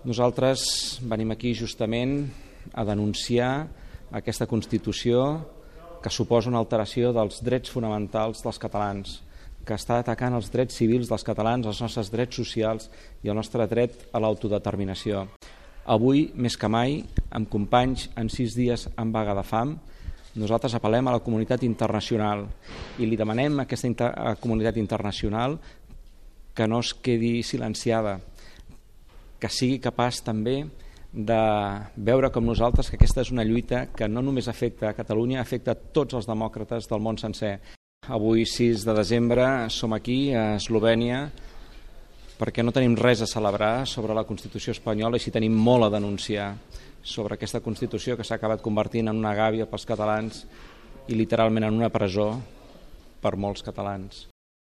Nosaltres venim aquí justament a denunciar aquesta Constitució que suposa una alteració dels drets fonamentals dels catalans, que està atacant els drets civils dels catalans, els nostres drets socials i el nostre dret a l'autodeterminació. Avui, més que mai, amb companys en 6 dies en vaga de fam, nosaltres apel·lem a la comunitat internacional i li demanem a aquesta comunitat internacional que no es quedi silenciada, que sigui capaç també de veure com nosaltres que aquesta és una lluita que no només afecta a Catalunya, afecta a tots els demòcrates del món sencer. Avui, 6 de desembre, som aquí a Eslovènia perquè no tenim res a celebrar sobre la Constitució espanyola i sí tenim molt a denunciar sobre aquesta Constitució que s'ha acabat convertint en una gàbia pels catalans i literalment en una presó per molts catalans.